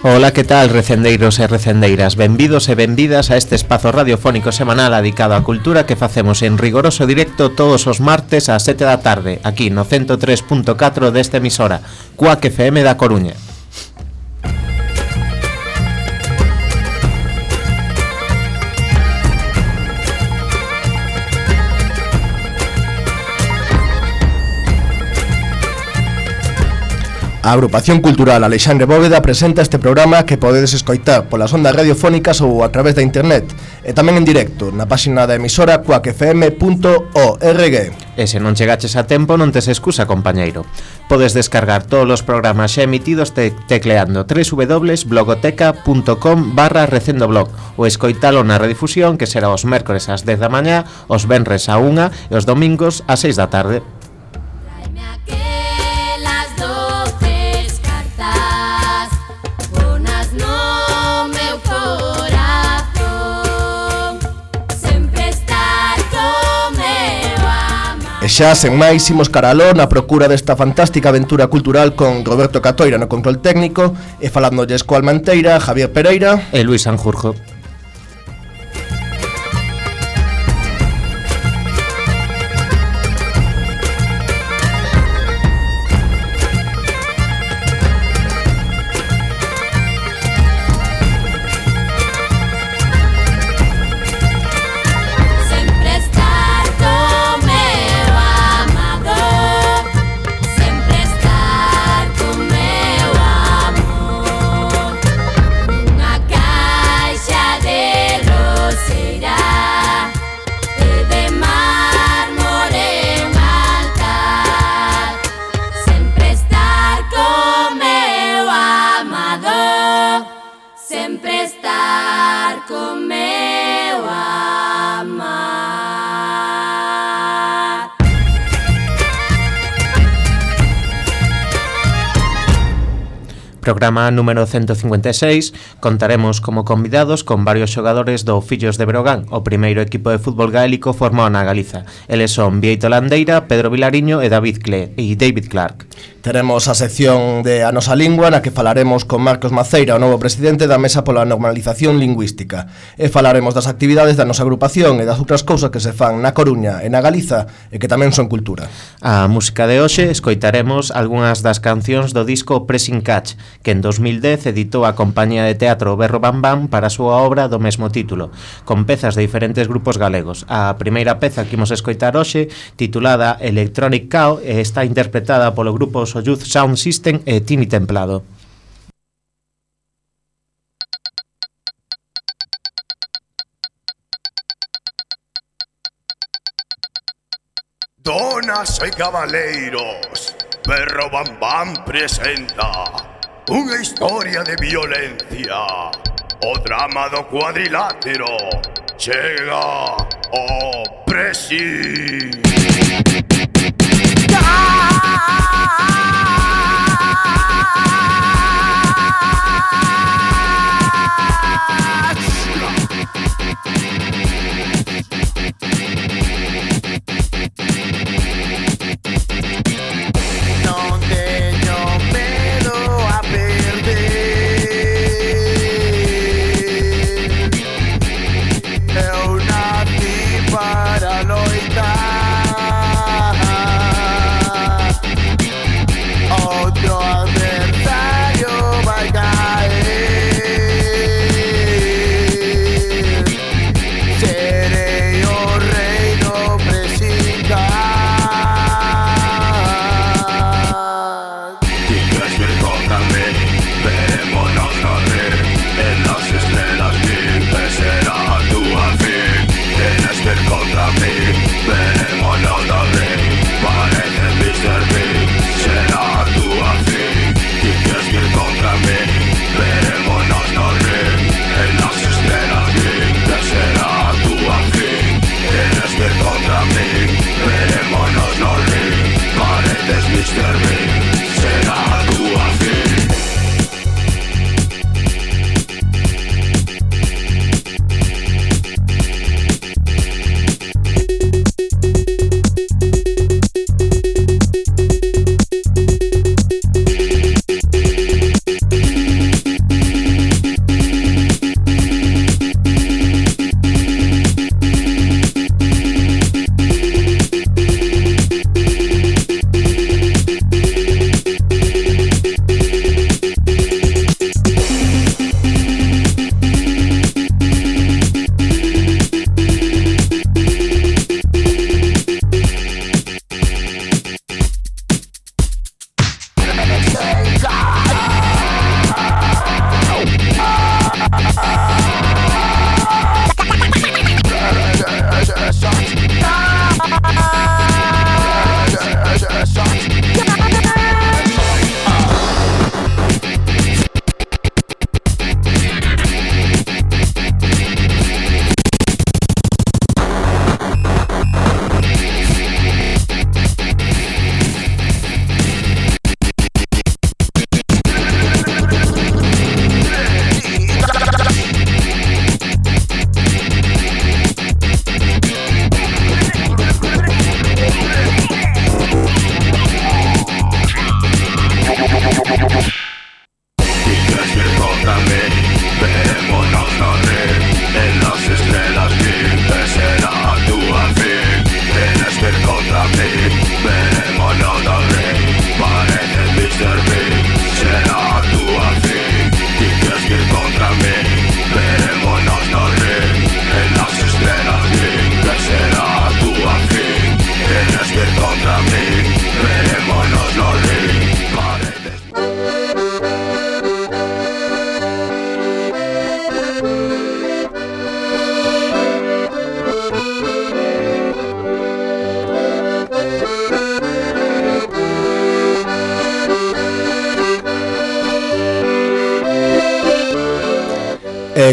Ola, que tal, recendeiros e recendeiras? Benvidos e benvidas a este espazo radiofónico semanal dedicado á cultura que facemos en rigoroso directo todos os martes ás 7 da tarde, aquí no 103.4 desta emisora, Cuac FM da Coruña. A Agrupación Cultural Alexandre Bóveda presenta este programa que podedes escoitar polas ondas radiofónicas ou a través da internet e tamén en directo na páxina da emisora cuacfm.org. E se non chegaches a tempo non tes excusa, compañeiro. Podes descargar todos os programas xa emitidos tecleando www.blogoteca.com/recendoblog ou escoitalo na redifusión que será os mércores ás 10 da mañá, os venres á 1 e os domingos ás 6 da tarde. E xa, sen máis, imos caraló na procura desta fantástica aventura cultural con Roberto Catoira no control técnico e falándolles co Almanteira, Javier Pereira e Luis Sanjurjo. Programa número 156, contaremos como convidados con varios xogadores do Fillos de Breogán, o primeiro equipo de fútbol gaélico formado na Galiza. Eles son Bieito Landeira, Pedro Vilariño e David Clark. Teremos a sección de A Nosa Lingua, na que falaremos con Marcos Maceira, o novo presidente da Mesa pola Normalización Lingüística, e falaremos das actividades da nosa agrupación e das outras cousas que se fan na Coruña e na Galiza e que tamén son cultura. A música de hoxe escoitaremos algunhas das cancións do disco Pressing Catch, que en 2010 editou a compañía de teatro Berro Bam Bam para a súa obra do mesmo título, con pezas de diferentes grupos galegos. A primeira peza que imos escoitar hoxe, titulada Electronic Cow, está interpretada polo grupo Youth Sound System e Tini Templado. Donas e cabaleiros, Berro Bam Bam presenta unha historia de violencia. O drama do cuadrilátero chega o Pressing. Para loitar. contra mí. Verémonos no ring, en las estrellas que será tu fin. Tienes que ir contra mí. Verémonos no ring, parece Mr. Bean. Será tu fin, tienes que ir contra mí. Verémonos no ring, en las estrellas que será tu fin. Tienes que ir contra mí. Verémonos no ring, parece.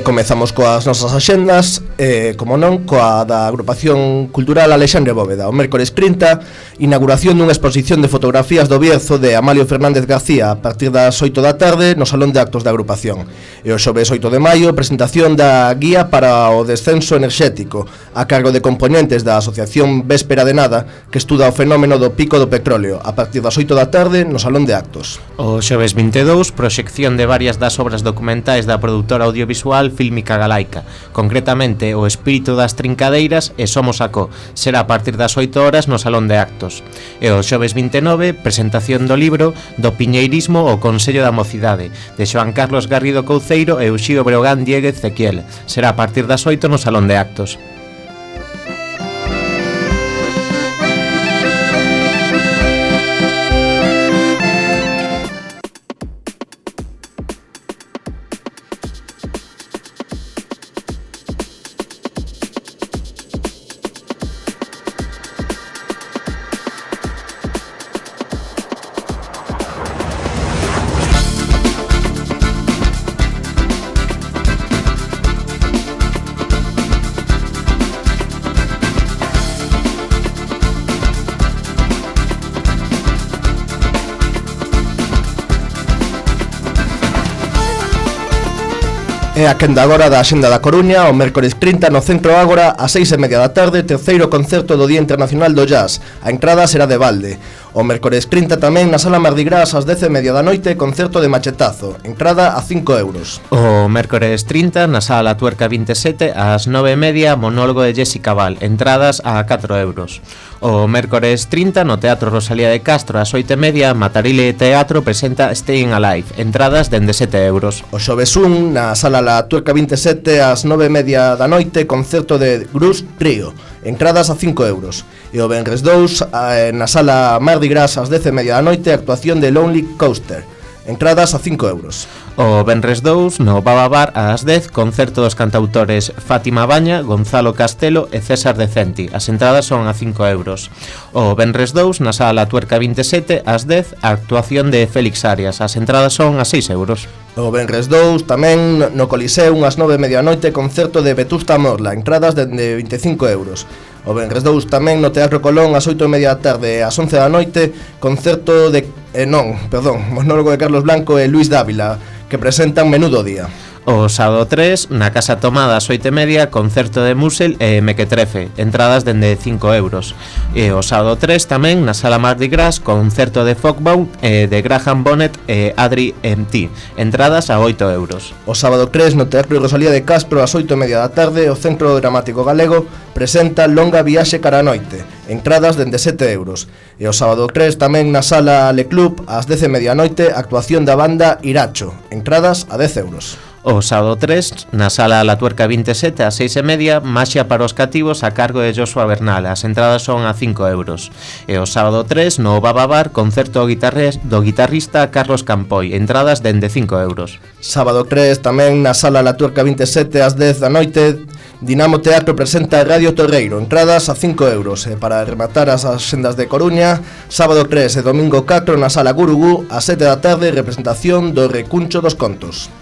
Comezamos coas nosas axendas, como non, coa da Agrupación Cultural Alexandre Bóveda. O mércores 30, inauguración dunha exposición de fotografías do Bierzo de Amalio Fernández García a partir das 8 da tarde no Salón de Actos da Agrupación. E o xoves 8 de maio, presentación da Guía para o Descenso Enerxético a cargo de componentes da Asociación Véspera de Nada, que estuda o fenómeno do pico do petróleo a partir das 8 da tarde no Salón de Actos. O xoves 22, proxección de varias das obras documentais da produtora audiovisual Fílmica Galaica, concretamente O espírito das trincadeiras e Somos Acó. Será a partir das 8 horas no Salón de Actos. E o xoves 29, presentación do libro Do Piñeirismo o Consello da Mocidade, de Xoan Carlos Garrido Couceiro e Uxío Breogán Diéguez Ezequiel. Será a partir das 8 no Salón de Actos. E a quenda agora da Axenda da Coruña, o mércores 30 no Centro Ágora, a 6:30 da tarde, terceiro concerto do Día Internacional do Jazz. A entrada será de balde. O mércores 30 tamén na Sala Mardi Gras ás 10:30 da noite, concerto de Machetazo. Entrada a 5 euros. O mércores 30 na Sala Tuerca 27 ás 9:30, monólogo de Jessica Val. Entradas a 4 euros. O mércores 30 no Teatro Rosalía de Castro ás 8:30, Matarile Teatro presenta Staying Alive. Entradas dende 7 euros. O xoves 1 na Sala La Tuerca 27 ás 9:30 da noite, concerto de Grus Trio. Entradas a 5 euros. E o venres 2 na Sala Mardi Gras ás 10:30 da noite, actuación de Lonely Coaster. Entradas a 5 euros. O venres 2 no Baba Bar ás 10, concerto dos cantautores Fátima Baña, Gonzalo Castelo e César Decenti. As entradas son a 5 euros. O venres 2 na Sala Tuerca 27 ás 10, a actuación de Félix Arias. As entradas son a 6 euros. O venres 2 tamén no Coliseo ás 9:30 da noite, concerto de Vetusta Morla. Entradas de 25 euros. O venres 2 tamén no Teatro Colón ás 8:30 da tarde e ás 11 da noite, concerto de monólogo de Carlos Blanco e Luis Dávila, que presentan Menudo Día. O sábado 3, na Casa Tomada ás 8:30, concerto de Musel e Mequetrefe, entradas dende 5 euros. E o sábado 3 tamén, na Sala Mardi Gras, concerto de Folkbound de Graham Bonnet e Adri MT, entradas a 8 euros. O sábado 3, no Teatro Rosalía de Castro ás 8:30 da tarde, o Centro Dramático Galego presenta Longa Viaxe cara a noite, entradas dende 7 euros. E o sábado 3 tamén na Sala Le Club ás 10:30 da noite, actuación da banda Iracho, entradas a 10 euros. O sábado 3, na Sala La Tuerca 27 ás 6:30, Maxia para os cativos a cargo de Joshua Bernal. As entradas son a 5 euros. E o sábado 3, no Baba Bar, concerto do guitarrista Carlos Campoy. Entradas dende 5 euros. Sábado 3, tamén na Sala La Tuerca 27 ás 10 da noite, Dinamo Teatro presenta Radio Torreiro. Entradas a 5 euros. E para rematar as axendas de Coruña, sábado 3 e domingo 4 na Sala Gurugú, ás 7 da tarde, representación do Recuncho dos Contos.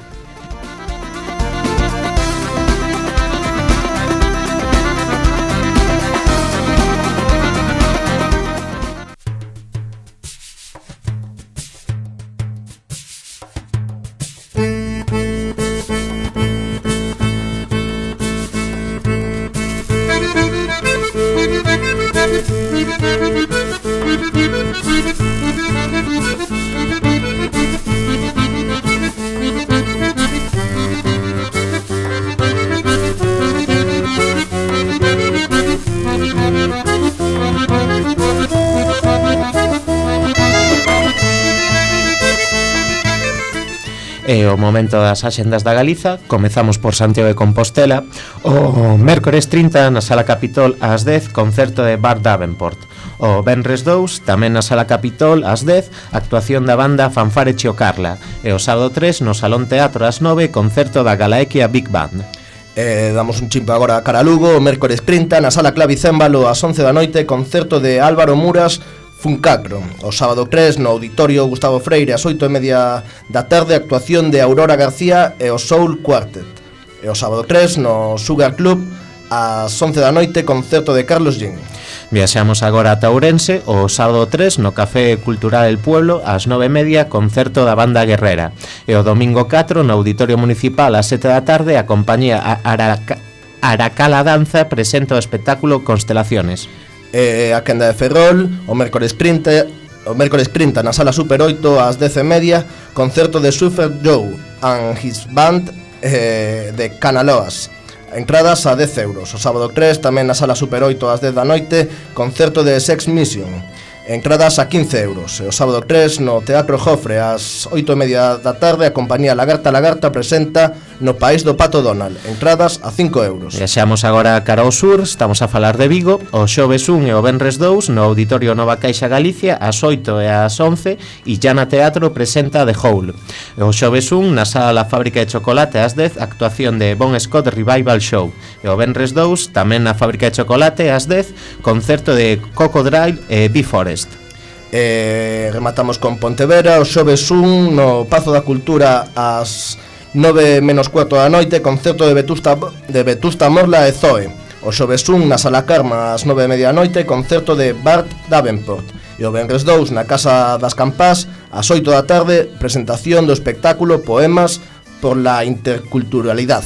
E o momento das axendas da Galiza. Comezamos por Santiago de Compostela. O mércores 30 na Sala Capitol ás 10, concerto de Bart Davenport. O venres 2, tamén na Sala Capitol ás 10, actuación da banda Fanfare Chiocarla. E o sábado 3 no Salón Teatro ás 9, concerto da Galaequia Big Band. Damos un chimpo agora a cara a Lugo. O mércores 30 na Sala Clavicémbalo ás 11 da noite, concerto de Álvaro Muras Funcacro. O sábado 3 no Auditorio Gustavo Freire ás 8:30 da tarde, actuación de Aurora García e o Soul Quartet. E o sábado 3 no Sugar Club ás 11 da noite, concerto de Carlos Jean. Viaxamos agora a Ourense. O sábado 3 no Café Cultural El Pueblo ás 9:30, concerto da banda Guerrera. E o domingo 4 no Auditorio Municipal ás 7 da tarde, a compañía Aracala Danza presenta o espectáculo Constelaciones. A quenda de Ferrol, o mércores 30 na Sala Super 8 ás 10:30, concerto de Super Joe and his band de Canaloas. Entradas a 10 euros. O sábado 3 tamén na Sala Super 8 ás 10 da noite, concerto de Sex Mission. Entradas a 15 euros. E o sábado 3 no Teatro Jofre ás 8:30 da tarde, a compañía Lagarta presenta No País do Pato Donald. Entradas a 5 euros. Viaxamos agora cara ao sur. Estamos a falar de Vigo. O xoves 1 e o venres 2 no Auditorio Nova Caixa Galicia ás 8 e ás 11, e Llana Teatro presenta The Hole. E o xoves 1 na Sala La Fábrica de Chocolate ás 10, actuación de Bon Scott Revival Show. E o venres 2 tamén na Fábrica de Chocolate ás 10, concerto de Cocodrile e Bee-Forest. Rematamos con Pontevedra. O xoves 1 no Pazo da Cultura ás 9:15 da noite, concerto de Vetusta Morla e Zoe. O xoves 1 na Sala Carma ás 9:30 da noite, concerto de Bart Davenport. E o venres 2 na Casa das Campás ás 8 da tarde, presentación do espectáculo Poemas por la Interculturalidad.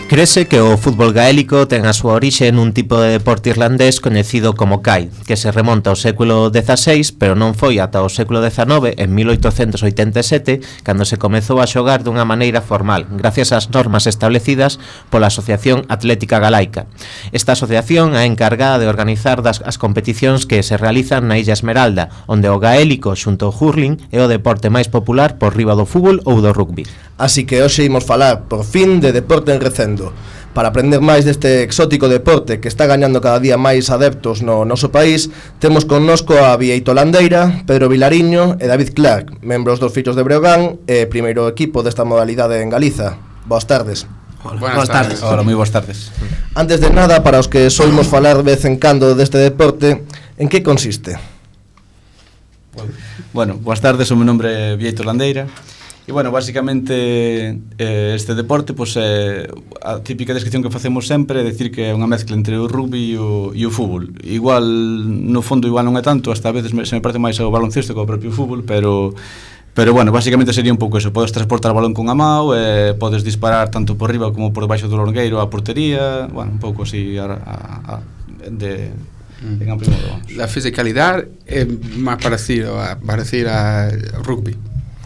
Crese que o fútbol gaélico ten a súa orixe nun tipo de deporte irlandés coñecido como Kai, que se remonta ao século XVI, pero non foi ata o século XIX, en 1887, cando se comezou a xogar dunha maneira formal, gracias ás normas establecidas pola Asociación Atlética Galaica. Esta asociación é encargada de organizar as competicións que se realizan na Illa Esmeralda, onde o gaélico xunto ao hurling é o deporte máis popular por riba do fútbol ou do rugby. Así que hoxe imos falar, por fin, de deporte en Recendo. Para aprender máis deste exótico deporte que está gañando cada día máis adeptos no noso país, temos connosco a Bieito Landeira, Pedro Vilariño e David Clark, membros dos Fillos de Breogán e primeiro equipo desta modalidade en Galiza. Boas tardes. Buenas tardes. Hola, moi boas tardes. Antes de nada, para os que soimos falar de vez en cando deste deporte, en que consiste? Bueno, boas tardes, o meu nombre é Bieito Landeira. E, bueno, basicamente este deporte, pois, a típica descripción que facemos sempre é decir que é unha mezcla entre o rugby e o fútbol. Igual, no fondo, igual non é tanto, hasta a veces se me parece máis ao baloncesto que ao propio fútbol, pero bueno, basicamente sería un pouco eso. Podes transportar o balón con a mão, podes disparar tanto por riba como por debaixo do longueiro a portería, bueno, un pouco así en amplio modo, vamos. La fisicalidad es más parecida a rugby.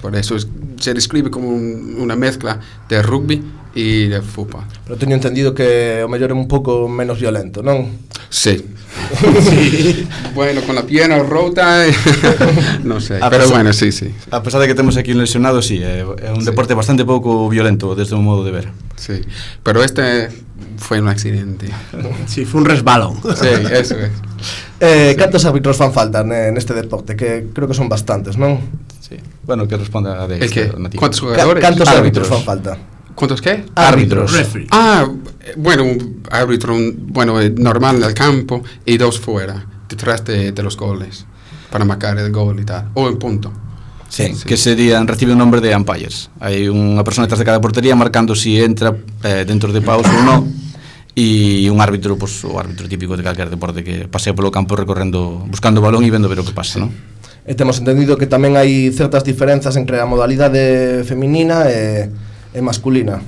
Por eso se describe como una mezcla de rugby y de fútbol. Pero teño entendido que o mellor é un pouco menos violento, non? Sí. Sí. Bueno, con la pierna rota, no sé, pero bueno, sí. A pesar de que temos aquí un lesionado, sí, é un deporte bastante pouco violento desde o modo de ver. Sí, pero este fue un accidente. Sí, fue un resbalón. Sí, eso es. Cantos árbitros fan falta neste deporte? Que creo que son bastantes, non? Sí. Bueno, que responda a de ¿Cuántos jugadores? Cantos árbitros fan falta? ¿Cuántos qué? Árbitros. Bueno, un árbitro normal en el campo y dos fuera. detrás de los goles para marcar el gol y tal, o en punto. Sí, que serían, recibe o nombre de umpires. Hai unha persona detrás de cada portería marcando si entra dentro de pausa ou non, e un árbitro, pues, o árbitro típico de calquer deporte que pasea polo campo recorrendo, buscando o balón e vendo ver o que pasa, non? E temos entendido que tamén hai certas diferenzas entre a modalidade feminina e masculina.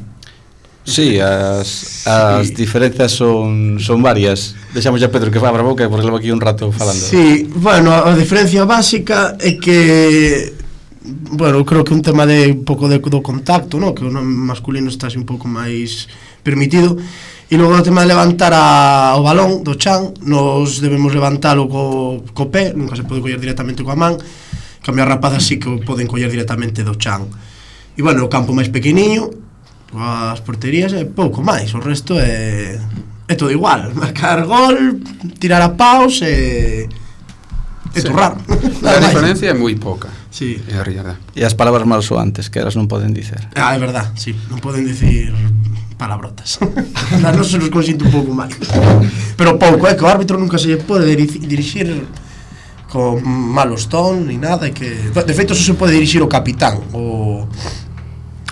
Sí, as diferenzas son varias. Deixamos ya Pedro que abra a boca porque levo aquí un rato falando. Sí, bueno, a diferencia básica é que bueno, creo que un tema de un pouco do contacto, ¿no? Que o masculino está un pouco máis permitido. E logo o tema de levantar o balón do chan, nos debemos levantalo co pé, nunca se pode coller directamente coa man. Cambio as rapazas sí que o poden coller directamente do chan. E bueno, o campo máis pequeniño, as porterías é pouco máis, o resto é todo igual, marcar gol, tirar a paus e turrar. La diferencia é moi pouca. Sí. É a realidade. E as palabras malsoantes que elas non poden dicer. É verdad, sí, non poden dicir palabrotas. Non se nos consinto un pouco máis. Pero pouco, que o árbitro nunca se pode dirixir con malos tons ni nada, que de feito só se pode dirixir o capitán, o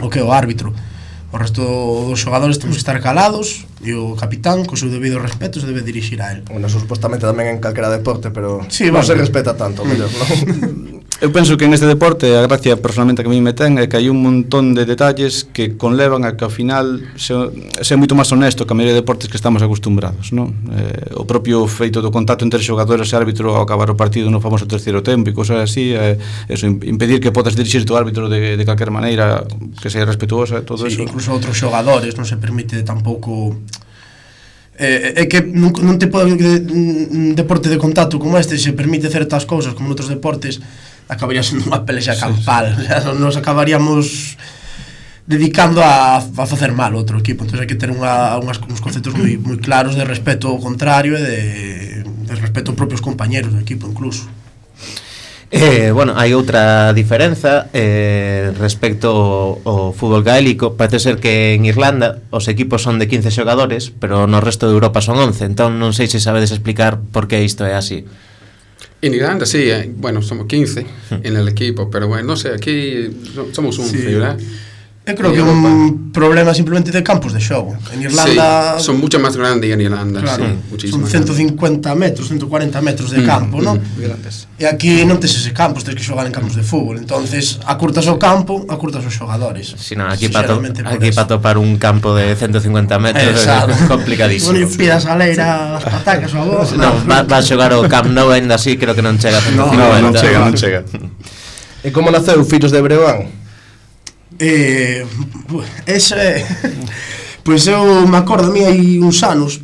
que é o árbitro. O resto dos xogadores temos que estar calados e o capitán, co seu debido respeto, se debe dirixir a él. Bueno, supostamente tamén en calquera deporte, pero sí, non bueno, se respeta tanto, mellor, non? Eu penso que en este deporte a gracia personalmente que a mí me ten é que hai un montón de detalles que conlevan a que ao final sea moito máis honesto que a maioría de deportes que estamos acostumbrados, non? O propio feito do contacto entre xogadores e árbitro ao acabar o partido no famoso terceiro tempo e cosas así, eso, impedir que podas dirixirte ao árbitro de calquer maneira que sea respetuosa, todo sí, eso. Incluso outros xogadores non se permite tampouco. É que non te pode un deporte de contacto como este se permite certas cousas como noutros deportes, acabaría sendo unha pelexa campal. O sea, nos acabaríamos dedicando a facer mal outro equipo. Entón hai que ter uns conceptos moi claros de respeto ao contrario e de respeto aos propios compañeros do equipo incluso. Bueno, hai outra diferenza respecto ao fútbol gaélico. Parece ser que en Irlanda os equipos son de 15 xogadores, pero no resto de Europa son 11. Entón non sei se sabedes explicar por que isto é así. En Irlanda sí, bueno, somos 15 en el equipo, pero bueno, no sé, aquí somos 11, sí. ¿Verdad? Eu creo que é un problema simplemente de campos de xogo. En Irlanda sí, son mucho más grandes en Irlanda, claro, sí, muchísimo. Son 150 metros, 140 metros de campo, ¿no? Grandes. E aquí non tes ese campos, tens que xogar en campos de fútbol. Entonces, acurtas o campo, acurtas os xogadores. Si non, aquí para topar un campo de 150 metros é complicadísimo. Bueno, pidas a leira as patacas ou a voz. Non, va a xogar o Camp Nou ainda así, creo que non chega a 150. Non chega. E como naceu Fillos de Breogán? Eso é pois eu me acordo a mí hai uns anos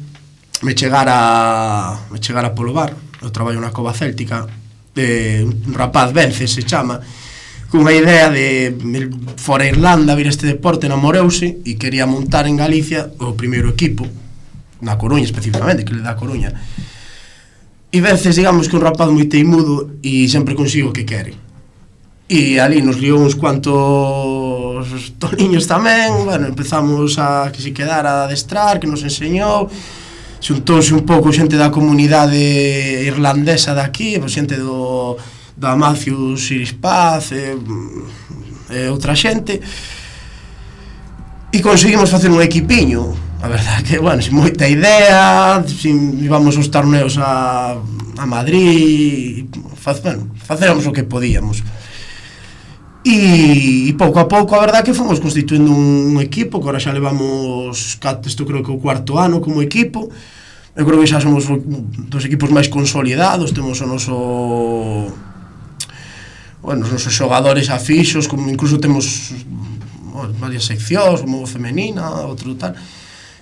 me chegara polo bar. Eu traballo na Cova Céltica, un rapaz Vence se chama, cunha idea de fora Irlanda vir este deporte, namoreuse e quería montar en Galicia o primeiro equipo na Coruña especificamente, que le dá a Coruña. E veces digamos que un rapaz moi teimudo e sempre consigo o que quere. E ali nos liou uns cuantos toniños tamén. Bueno, empezamos a que se quedara a adestrar, que nos enseñou. Xuntouse un pouco xente da comunidade irlandesa daqui, xente da Matthews Iris Paz e outra xente. E conseguimos facer un equipiño. A verdade que, bueno, sin moita idea, íbamos aos torneos a Madrid, facéramos o que podíamos. E pouco a pouco, a verdade que fomos constituindo un equipo, que agora xa levamos, isto creo que o cuarto ano como equipo. Eu creo que xa somos dos equipos máis consolidados, temos o noso, bueno, os nosos xogadores afixos, como incluso temos varias seccións, como femenina, outro tal.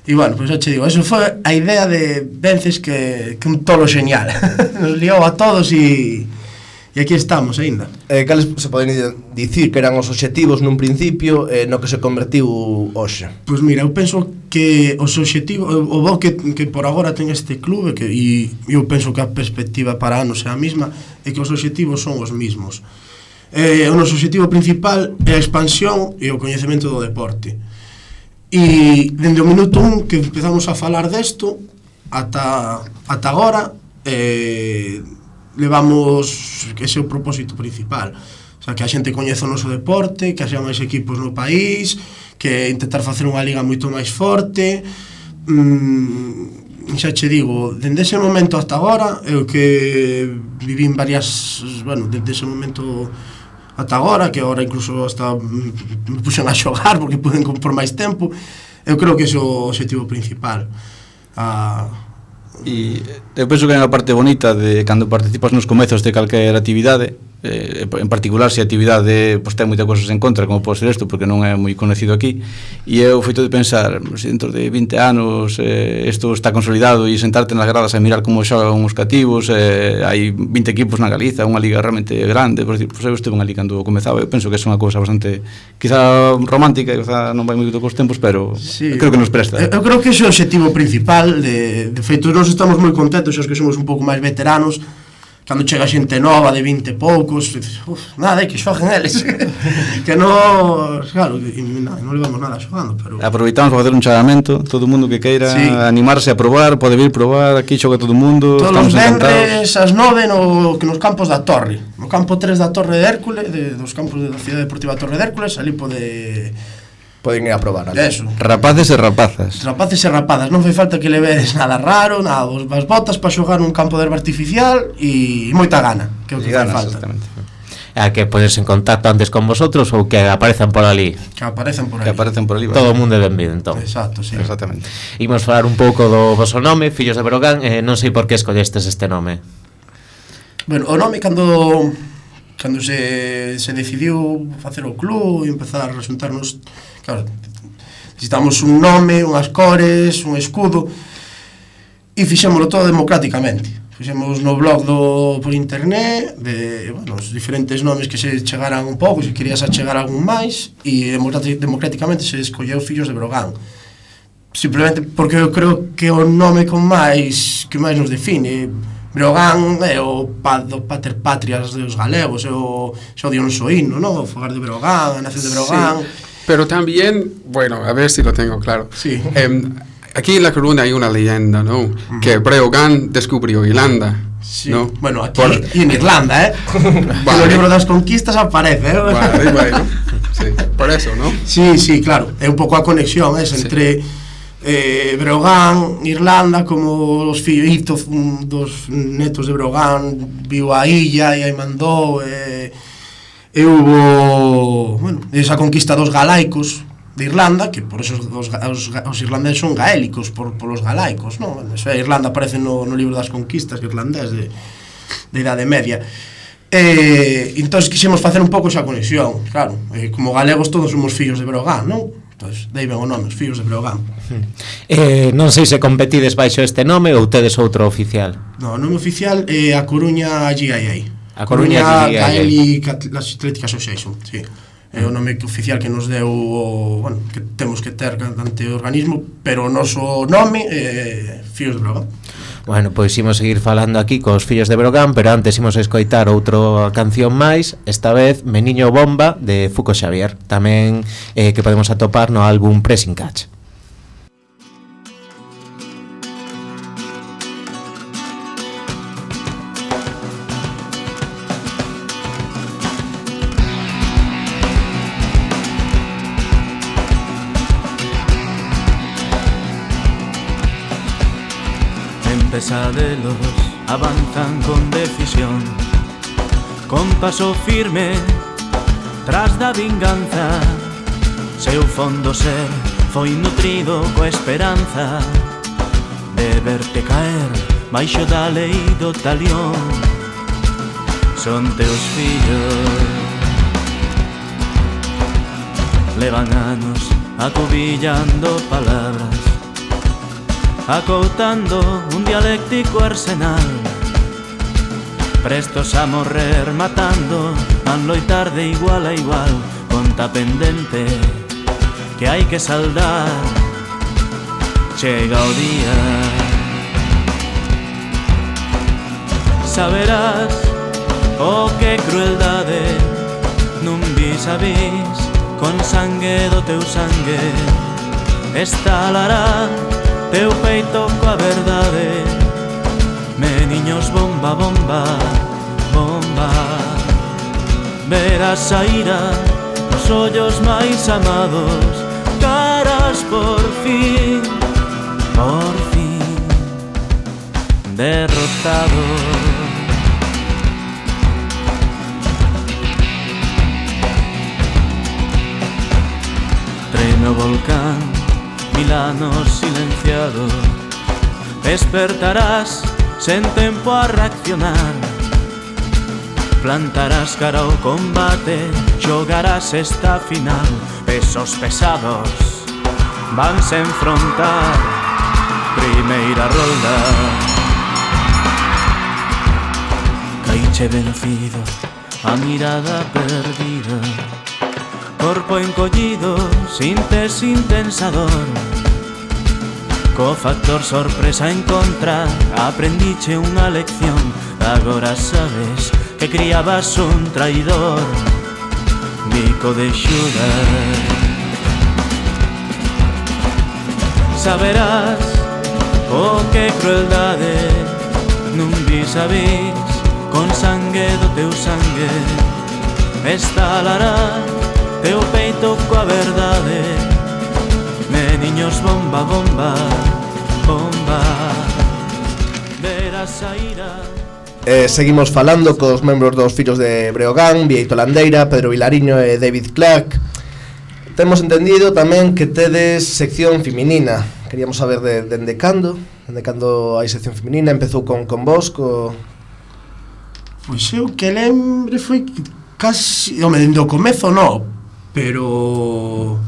E bueno, pois xa che digo, eso foi a idea de Vences que un tolo genial. Nos liou a todos e aquí estamos aínda. Cales se poden dicir que eran os obxectivos nun principio no que se convertiu hoxe? Pois mira, eu penso que os obxectivos, o bo que por agora ten este clube, e eu penso que a perspectiva para anos é a mesma, é que os obxectivos son os mesmos. O noso obxectivo principal é a expansión e o coñecemento do deporte. E dende o minuto 1 que empezamos a falar desto ata agora, levamos ese é o propósito principal. O sea, que a xente coñeza o noso deporte, que haxa máis equipos no país, que intentar facer unha liga moito máis forte. Xa che digo, dende ese momento hasta agora, eu que vivín varias, bueno, dende ese momento ata agora, que agora incluso hasta me puxen a xogar porque puden por máis tempo, eu creo que ese é o objetivo principal. E eu penso que é unha parte bonita de cando participas nos comezos de calquera actividade, en particular se a actividade pois, ten moitas cosas en contra, como pode ser isto, porque non é moi conocido aquí, e é o feito de pensar, se dentro de 20 anos isto está consolidado, e sentarte nas gradas a mirar como xogan os cativos, hai 20 equipos na Galiza, unha liga realmente grande, por decir, pois eu estive unha liga cando comezaba, eu penso que é unha cousa bastante, quizá romántica, quizá non vai moito cos tempos, pero sí, creo que nos presta. Eu creo que ese é o objetivo principal, de feito, nós estamos moi contentos, os que somos un pouco máis veteranos, cando chega xente nova de 20 e poucos, nada, que xoguen eles. Que non, claro, non levamos nada xogando, pero aproveitamos para facer un chamamento, todo o mundo que queira animarse a probar, pode vir probar, aquí xoga todo o mundo, todos os venres ás 9 nos campos da Torre, no campo 3 da Torre de Hércules, dos campos da Cidade Deportiva Torre de Hércules, ali poden ir a probar ali. Eso. Rapaces e rapazas. Rapaces e rapadas, non fai falta que levedes nada raro, nada, as botas para xogar nun campo de herba artificial e moita gana, que é o que fai falta. Exactamente. A que podes en contacto antes con vosotros ou que aparezan por ali. Que aparecen por ali. Todo o mundo é benvido, entón. Exacto, sí. Exactamente. Imos falar un pouco do voso nome, Fillos de Breogán, non sei por que escollestes este nome. Bueno, o nome cando se decidiu facer o club e empezar a xuntarnos, claro, necesitamos un nome, unhas cores, un escudo, e fixémolo todo democráticamente. Fixemos no blog por internet de, bueno, os diferentes nomes que se chegaran un pouco, se querías achegar algún máis, e democráticamente se escolleu Fillos de Breogán. Simplemente porque eu creo que o nome que máis nos define. Breogán é o pater patrias dos galegos, é o Dionsoíno, ¿no? O fogar de Breogán, a nación de Breogán. Sí, pero también, bueno, a ver si lo tengo claro. Sí. Aquí en La Coruña hay una leyenda, ¿no? Que Breogán descubrió Irlanda. Sí. ¿No? Bueno, aquí y en Irlanda, vale. No libro das conquistas aparece, Vale, bueno. Sí, por eso, ¿no? Sí, claro. É un pouco a conexión entre Breogán, Irlanda, como os fillitos dos netos de Breogán viu a illa e aí mandou e hubo, bueno, esa conquista dos galaicos de Irlanda, que por eso os irlandeses son gaélicos polos galaicos, non? Bueno, eso, Irlanda aparece no libro das conquistas irlandés de Idade Media. Entón quixemos facer un pouco esa conexión, claro, como galegos todos somos fillos de Breogán, non? Entón, dai ben o nome, os Fillos de Breogán. Non sei se competides baixo este nome ou tedes outro oficial. No, o nome oficial é a Coruña GIA. A Coruña Gaelic Athletic Association, sí. É o nome oficial que nos deu, bueno, que temos que ter ante o organismo, pero o noso nome é Fillos de Breogán. Bueno, pois imos seguir falando aquí cos Fillos de Breogán, pero antes imos escoitar outra canción máis, esta vez Meniño Bomba de Fuco Xavier, tamén que podemos atopar no álbum Pressing Catch. Pesadelos avanzan con decisión, con paso firme tras da vinganza. Seu fondo ser foi nutrido coa esperanza de verte caer baixo da lei do talión. Son teus fillos, levan anos acubillando palabras, acoutando un dialéctico arsenal, prestos a morrer matando, van loitar de igual a igual, conta pendente que hai que saldar. Chega o día, saberás o que crueldade nun vis a vis, con sangue do teu sangue estalará teu peito coa verdade, Meniños bomba, bomba, bomba. Verás a ira nos ollos máis amados, caras por fin derrotado. Treme o volcán, Milano silenciado. Despertarás sen tempo a reaccionar. Plantarás cara ao combate, xogarás esta final. Pesos pesados vanse enfrontar. Primeira rolda. Caiche vencido, a mirada perdida. Corpo encollido, sintes intensador. Co factor sorpresa en contra, aprendiche unha lección. Agora sabes que criabas un traidor. Bico de Xudas. Saberás o que crueldade nun vis a vis, con sangue do teu sangue estalará teu peito coa verdade. Meniños bomba, bomba, bomba. Verás a ira. Seguimos falando cos membros dos Fillos de Breogán, Bieito Landeira, Pedro Vilariño e David Clark. Temos entendido tamén que tedes sección feminina. Queríamos saber dende cando hai sección feminina. Empezou con vos, Pois eu que lembre foi casi... dende o comezo non, pero...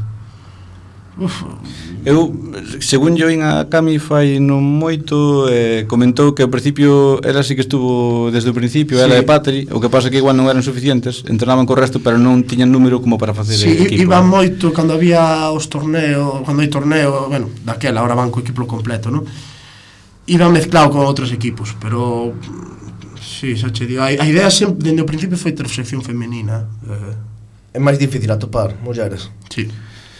Eu, según yo vin a Cami fai non moito, comentou que ao principio ela sí que estuvo desde o principio, sí. Ela e Patri, o que pasa que igual non eran suficientes, entrenaban co resto, pero non tiñan número como para facer equipo. Sí, iban moito cando había os torneos, cando hai torneo, bueno, daquela, ahora van co equipo completo, non? Iban mezclado con outros equipos, pero... Sí, xa che digo, a idea sempre, dende o principio foi ter sección femenina. É máis difícil atopar mulleres. Sí.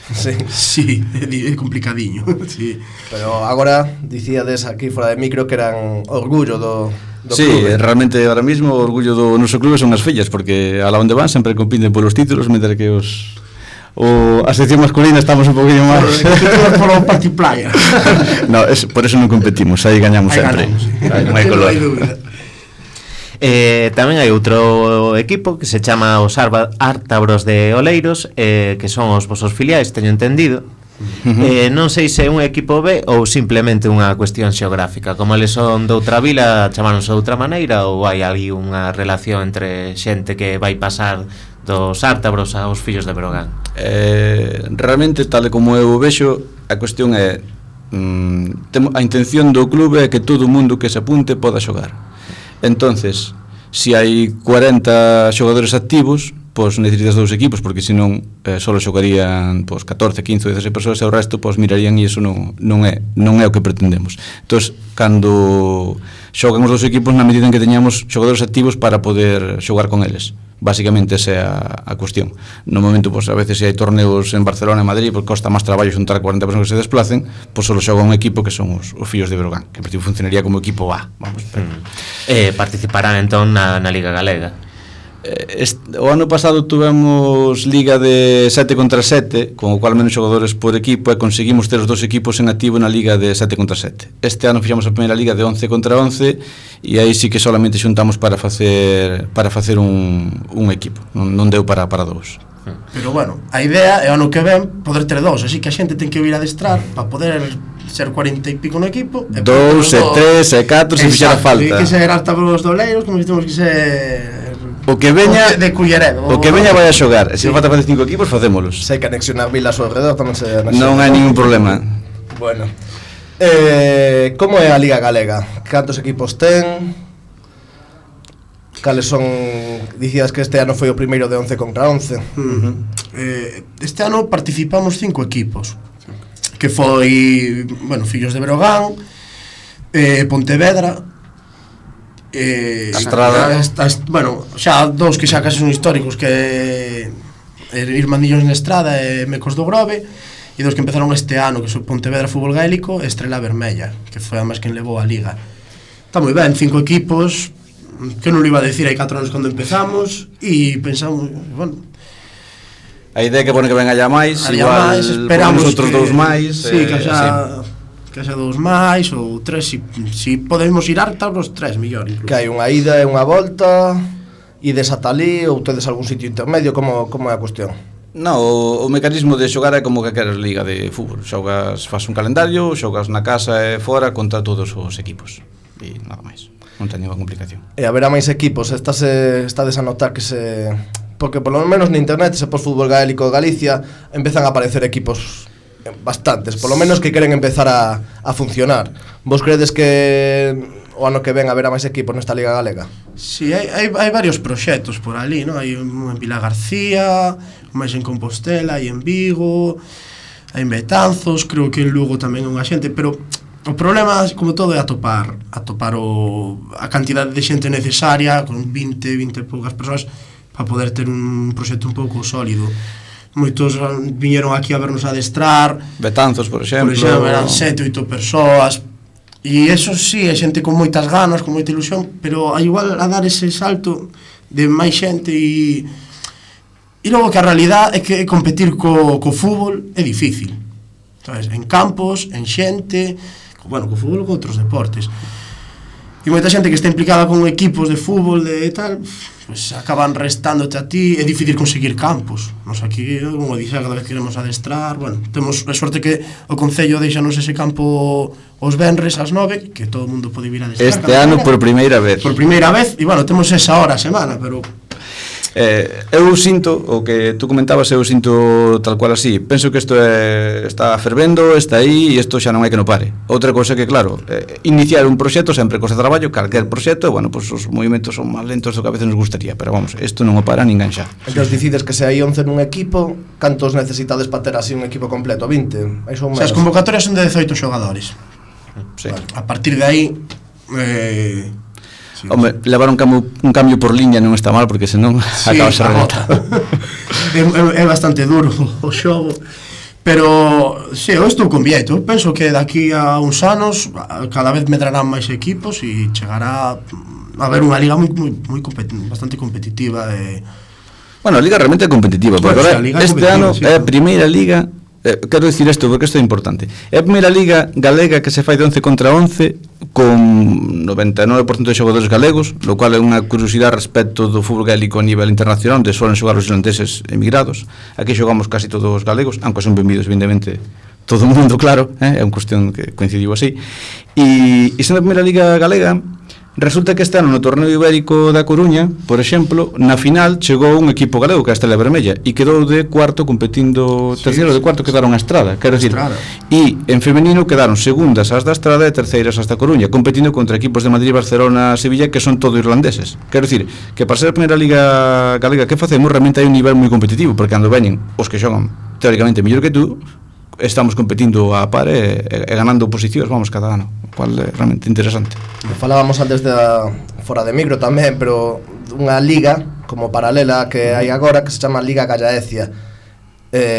Sí, é complicadiño, sí. Pero agora dicíades aquí fora de micro que eran orgullo do sí, clube. Realmente ahora mismo o orgullo do noso clube son as fillas, porque a la onde van sempre compiten polos títulos, mentre que a sección masculina estamos un poquinho máis polo party player. No, por eso non competimos, aí gañamos sempre. Non hai color. Tamén hai outro equipo que se chama os Ártabros de Oleiros, que son os vosos filiais, teño entendido. Non sei se é un equipo B ou simplemente unha cuestión xeográfica. Como eles son de outra vila, chamáronse de outra maneira, ou hai ali unha relación entre xente que vai pasar dos Ártabros aos Fillos de Breogán? Realmente, tal como eu vexo, a cuestión é a intención do clube é que todo o mundo que se apunte poda xogar. Entonces, se hai 40 xogadores activos, pois necesitas dous equipos, porque senón só xogarían 14, 15, 16 persoas e o resto mirarían, e iso non é o que pretendemos. Entón, cando xogan os dous equipos, na medida en que teñamos xogadores activos para poder xogar con eles. Básicamente esa é a cuestión. No momento, a veces se hai torneos en Barcelona e Madrid, porque costa máis traballo xuntar 40 persoas que se desplacen, só xoga un equipo que son os Fillos de Breogán, que en principio funcionaría como equipo A. Participarán entón na Liga Galega. O ano pasado tuvemos liga de 7 contra 7, con o cual menos xogadores por equipo, e conseguimos ter os dos equipos en activo na liga de 7 contra 7. Este ano fixamos a primeira liga de 11 contra 11, e aí sí que solamente xuntamos para facer un equipo, non deu para dous. Pero bueno, a idea é o ano que ven poder ter dous, así que a xente ten que vir a adestrar para poder ser 40 e pico no equipo, 2 e 3 e 4 se fixera falta. Que ser Ártabros de Oleiros, como temos que ser o que veña de Culleredo. O que veña vai a xogar. Se falta facer 5 equipos, facémolos. Se hai que anexionar vilas ao redor, tamén se anexiona. Non hai ningún problema. Bueno, como é a Liga Galega? Cantos equipos ten? Cales son? Dicías que este ano foi o primeiro de 11 contra 11. Este ano participamos 5 equipos, que foi, bueno, Fillos de Breogán, Pontevedra, Estrada, bueno, xa dous que xa case son históricos, que Irmandillos na Estrada e Mecos do Grove, e dous que empezaron este ano, que son Pontevedra Fútbol Gaélico e Estrela Vermella, que foi además quen levou a Liga. Está moi ben, 5 equipos, que non lo iba a decir hai 4 anos cando empezamos, e pensamos, bueno, a idea que pone que venga ya máis, igual esperamos outros dous máis. Sí, que xa 2 máis ou 3, si podemos ir harta os 3 mellor incluso. Que hai unha ida e unha volta, ides ata ali ou tedes algún sitio intermedio, como é a cuestión? No, o mecanismo de xogar é como que queres liga de fútbol. Xogas, faz un calendario, xogas na casa e fora contra todos os equipos. E nada máis, non ten ninguna complicación. E haberá máis equipos, estades a notar que se... Porque polo menos na internet, se pos fútbol gaélico de Galicia, empezan a aparecer equipos bastantes, polo menos que queren empezar a funcionar. Vos credes que o ano que ven haberá máis equipos nesta Liga Galega? Si, hai varios proxectos por ali, non? Hai un en Vila García, máis en Compostela, hai en Vigo, hai en Betanzos, creo que en Lugo tamén é unha xente, pero o problema, como todo, é atopar a cantidade de xente necesaria, con 20 e poucas persoas, para poder ter un proxecto un pouco sólido. Moitos viñeron aquí a vernos adestrar. Betanzos, por exemplo, eran 7 ou 8 persoas. E eso sí, é xente con moitas ganas, con moita ilusión, pero igual a dar ese salto de máis xente e logo que a realidade é que competir co fútbol é difícil, sabes? En campos, en xente, bueno, co fútbol ou con outros deportes. E moita xente que está implicada con equipos de fútbol e tal, pues acaban restándote a ti, é difícil conseguir campos. Nos aquí, como dixer, cada vez que queremos adestrar, bueno, temos a sorte que o Concello deixanos ese campo os venres ás 9, que todo o mundo pode vir a adestrar. Este ano por primeira vez. Por primeira vez, e bueno, temos esa hora a semana, pero... Eu sinto, o que tú comentabas, eu sinto tal cual así. Penso que isto está fervendo, está aí, e isto xa non hai que non pare. Outra cousa que, claro, iniciar un proxecto sempre costa traballo, calquer proxecto, bueno, pues os movimentos son máis lentos do que a veces nos gustaría, pero vamos, isto non o para ninguén xa. Entón decides que se hai 11 nun equipo, cantos necesitades para ter así un equipo completo? 20? As convocatorias son de 18 xogadores. Sí. Vale, a partir de aí... Sí, home, levar un cambio por liña non está mal, porque senón sí, acaba ser rematado. É bastante duro o xogo, pero sí, eu estou con Vieito. Eu penso que daqui a uns anos cada vez medrarán máis equipos e chegará a haber unha liga bastante competitiva. Bueno, a liga realmente é competitiva, porque ahora, este ano é a primeira liga. Quero dicir isto porque isto é importante. É a primeira liga galega que se fai de 11 contra 11 con 99% de xogadores galegos, lo cual é unha curiosidade respecto do fútbol gaélico a nivel internacional, onde suelen xogar os irlandeses emigrados. Aquí xogamos casi todos os galegos, aunque son benvidos evidentemente todo o mundo, claro, é unha cuestión que coincidiu así. E sendo a primeira liga galega, resulta que este ano no torneo ibérico da Coruña, por exemplo, na final chegou un equipo galego, que é a Estrela Vermella, e quedou de cuarto competindo, terceiro de cuarto quedaron a Estrada, quero dicir, e en femenino quedaron segundas as da Estrada e terceiras as da Coruña, competindo contra equipos de Madrid, Barcelona, Sevilla, que son todo irlandeses. Quero dicir, que para ser a primeira liga galega que facemos, realmente hai un nivel moi competitivo, porque cando veñen os que xogan teóricamente mellor que tú, estamos competindo a par e ganando posicións, vamos, cada ano, o cual é realmente interesante. Falábamos antes fora de micro tamén, pero unha liga como paralela que hai agora que se chama Liga Gallaecia.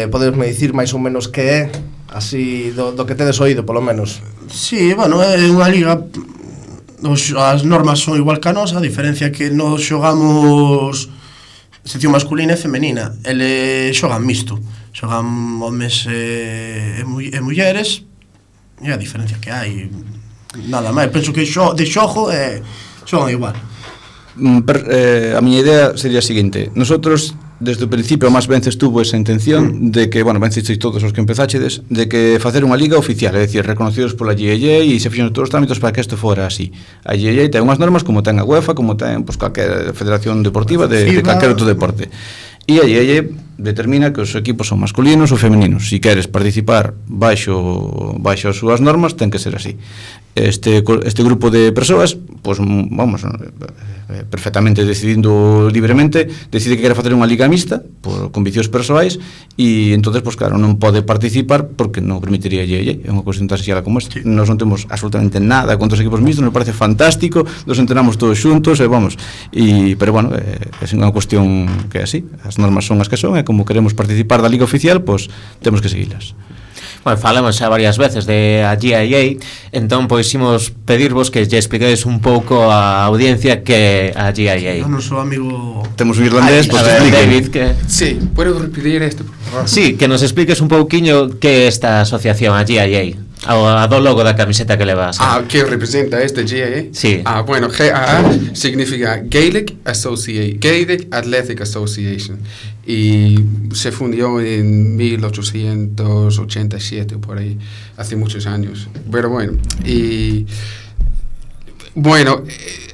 Podesme dicir máis ou menos que é, así, do que tedes oído, polo menos? Sí, bueno, é unha liga, as normas son igual que a nosa, a diferencia que nos xogamos sección masculina e femenina. Ele xogan mixto, xogan homes e mulleres, e a diferencia que hai, nada máis. Penso que de xogo xogan igual. A miña idea sería a seguinte: nosotros desde o principio máis veces tuvo esa intención de que, bueno, vencisteis todos os que empezáchedes, de que facer unha liga oficial, é dicir, reconocidos pola GAA, e se fixeron todos os trámites para que isto fora así. A GAA ten unhas normas como ten a UEFA, como ten calquer federación deportiva de calquer outro deporte. E a GAA determina que os equipos son masculinos ou femeninos. Se queres participar baixo as súas normas, ten que ser así. Este grupo de persoas, pues, vamos, perfectamente decidindo libremente, decide que quere facer unha liga mixta por conviccións persoais, e entonces, pues claro, non pode participar porque non permitiría a GAA. É unha cuestión tan sexala como esta. Nos non temos absolutamente nada contra os equipos mixtos, nos parece fantástico, nos entrenamos todos xuntos, vamos, pero bueno, é unha cuestión que é así, as normas son as que son, e como queremos participar da liga oficial, pues temos que seguilas. Bueno, falamos xa varias veces de a GIA, entón pois imos pedirvos que lle expliquedes un pouco á audiencia que a GIA. O noso amigo... Temos un irlandés, pois A ver, explique. David, que... Sí, puedo repetir esto, por favor. Sí, que nos expliques un pouquiño que é esta asociación, a GIA, a do logo da camiseta que levas. ¿Qué representa este GAA? Sí. Bueno, GAA significa Gaelic Athletic Association y se fundó en 1887 por ahí, hace muchos años. Pero bueno, y bueno,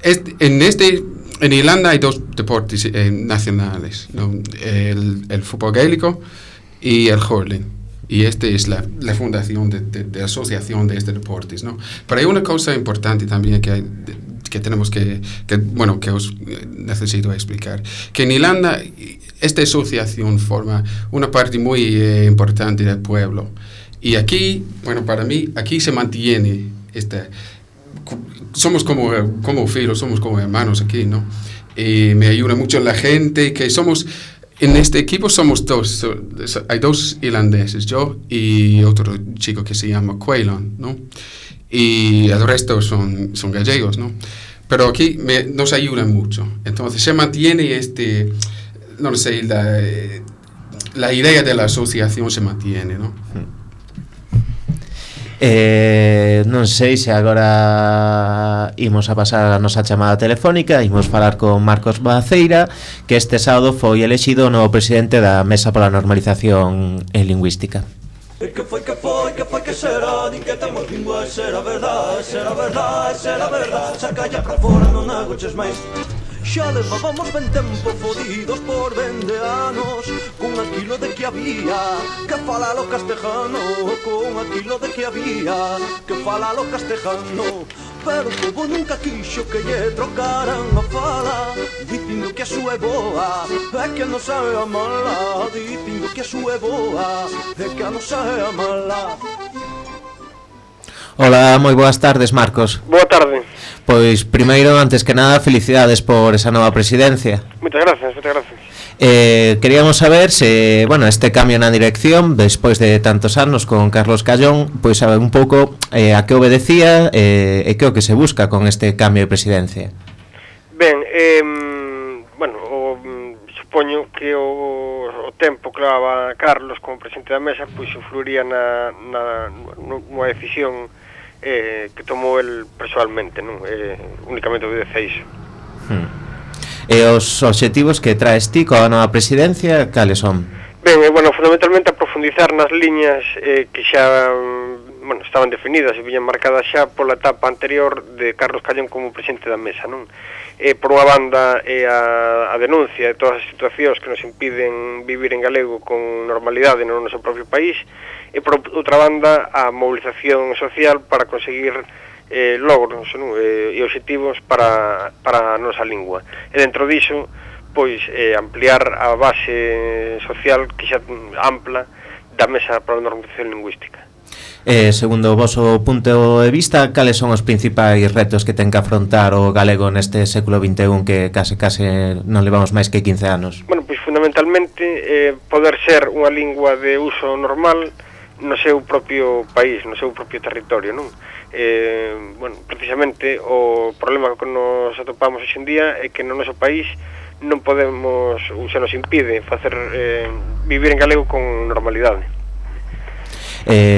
en Irlanda hay dos deportes nacionales, ¿no? El fútbol gaélico y el hurling. Y esta es la fundación de asociación de estos deportes, ¿no? Pero hay una cosa importante también que tenemos que os necesito explicar. Que en Irlanda esta asociación forma una parte muy importante del pueblo. Y aquí, bueno, para mí, aquí se mantiene somos como filos, somos como hermanos aquí, ¿no? Y me ayuda mucho la gente, que somos... En este equipo somos dos, hay dos irlandeses, yo y otro chico que se llama Quaylon, ¿no? Y el resto son gallegos, ¿no? Pero aquí nos ayudan mucho. Entonces se mantiene no sé, la idea de la asociación se mantiene, ¿no? Non sei se agora imos a pasar a nosa chamada telefónica, imos falar con Marcos Maceira, que este sábado foi elexido o novo presidente da Mesa pola Normalización Lingüística. Que foi que será, din que temos lingua, será verdade, saca ya pra fora, non agoches máis. Xa levábamos ben tempo fodidos por 20 anos, con aquilo de que había que falar o castejano, con aquilo de que había que falar o castejano. Pero o povo nunca quixo que lle trocaran a fala, dicindo que a súa é boa, é que a nosa é a mala, dicindo que a súa é boa, é que a nosa é a mala. Hola, moi boas tardes, Marcos. Boa tarde. Pois, primeiro, antes que nada, felicidades por esa nova presidencia. Moitas gracias, moitas gracias. Queríamos saber se, bueno, este cambio na dirección, despois de tantos anos con Carlos Callón, pois saber un pouco a que obedecía e que o que se busca con este cambio de presidencia. Ben, supoño que o tempo que levaba Carlos como presidente da mesa pois influiría nunha decisión que tomou el persoalmente, non? Únicamente obedece a iso. E os obxectivos que traes ti coa nova presidencia, cales son? Ben, fundamentalmente a profundizar nas liñas que xa estaban definidas e viñan marcadas xa pola etapa anterior de Carlos Callón como presidente da mesa, non? Por unha banda a denuncia de todas as situacións que nos impiden vivir en galego con normalidade no noso propio país, e por outra banda a movilización social para conseguir logros, non? E obxectivos para a nosa lingua. E dentro diso, pois ampliar a base social que xa ampla da Mesa para a Normalización Lingüística. Segundo o voso punto de vista, cales son os principais retos que ten que afrontar o galego neste século XXI que case non levamos máis que 15 anos? Bueno, pois fundamentalmente poder ser unha lingua de uso normal no seu propio país, no seu propio territorio, non? Precisamente o problema que nos atopamos hoxe en día é que no noso país non podemos, ou se nos impide facer vivir en galego con normalidade.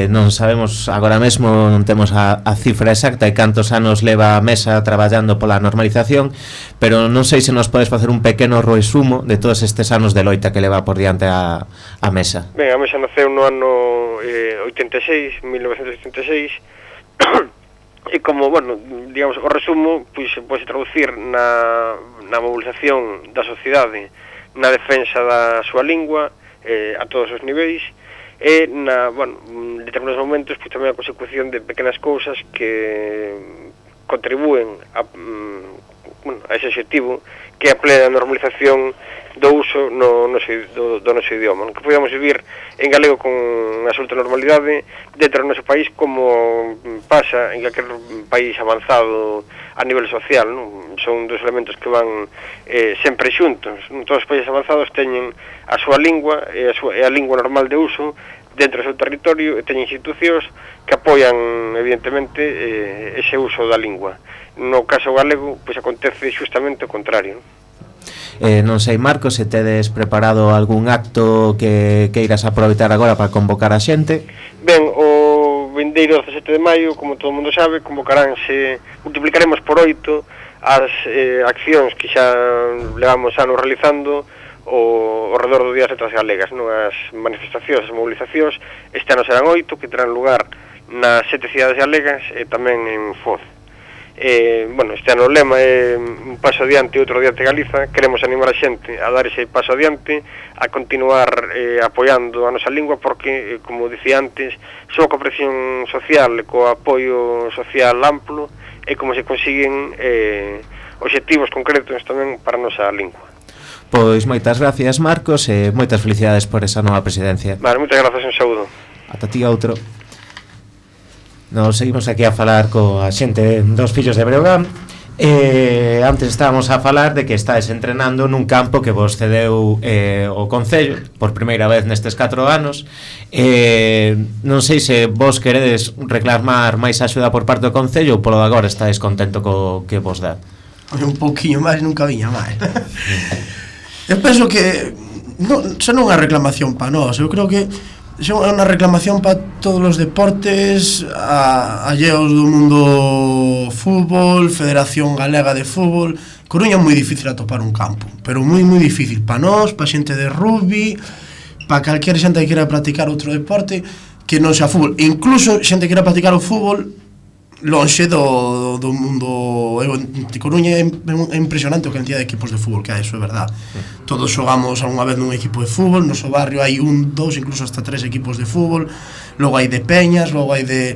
Non sabemos agora mesmo, non temos a cifra exacta de cantos anos leva a Mesa traballando pola normalización, pero non sei se nos podes facer un pequeno resumo de todos estes anos de loita que leva por diante a Mesa. Ben, a Mesa naceu no ano 1986, e como, digamos, o resumo pois se pode traducir na mobilización da sociedade na defensa da súa lingua a todos os niveis, e en determinados momentos pois tamén a consecución de pequenas cousas que contribúen a ese objetivo, que é a plena normalización do uso do noso idioma, que podamos vivir en galego con absoluta normalidade dentro do noso país, como pasa en calquer país avanzado a nivel social, non? Son dos elementos que van sempre xuntos. Todos os países avanzados teñen a súa lingua e a lingua normal de uso dentro do seu territorio e teñen institucións que apoian evidentemente ese uso da lingua. No caso galego, pois acontece xustamente o contrario. Non sei, Marcos, se tedes preparado algún acto que queiras aproveitar agora para convocar a xente. Ben, o vindeiro 17 de maio, como todo mundo sabe, convocaránse, multiplicaremos por 8 as accións que xa levamos anos realizando ao redor do Día das Letras Galegas, non? As manifestacións, as movilizacións, este ano serán 8, que terán lugar nas 7 cidades galegas e tamén en Foz. Bueno, este ano o lema é un paso adiante e outro adiante Galiza. Queremos animar a xente a dar ese paso adiante, a continuar apoiando a nosa lingua, porque, como dicía antes, só coa presión social e co apoio social amplo é como se consiguen obxectivos concretos tamén para a nosa lingua. Pois moitas gracias, Marcos, e moitas felicidades por esa nova presidencia. Vale, moitas grazas, un saúdo. Ata ti outro. Nos seguimos aquí a falar coa xente dos Fillos de Breogán. Antes estábamos a falar de que estáis entrenando nun campo que vos cedeu o Concello por primeira vez nestes 4 anos. Non sei se vos queredes reclamar máis axuda por parte do Concello ou polo de agora estáis contento co que vos dá. Un pouquiño máis nunca viña máis. Eu penso que xa non é unha reclamación para nós. Eu creo que é unha reclamación para todos os deportes alleos do mundo fútbol, Federación Galega de Fútbol. Coruña é moi difícil atopar un campo, pero moi difícil para nós, para xente de rugby, para calquera xente que quera practicar outro deporte que non sea fútbol. Incluso xente que quera practicar o fútbol lonxe do mundo. De Coruña é impresionante a cantidad de equipos de fútbol que hai, eso é verdad. Todos xogamos algunha vez nun equipo de fútbol. No noso barrio hai 1, 2, incluso hasta 3 equipos de fútbol. Logo hai de peñas, logo hai de...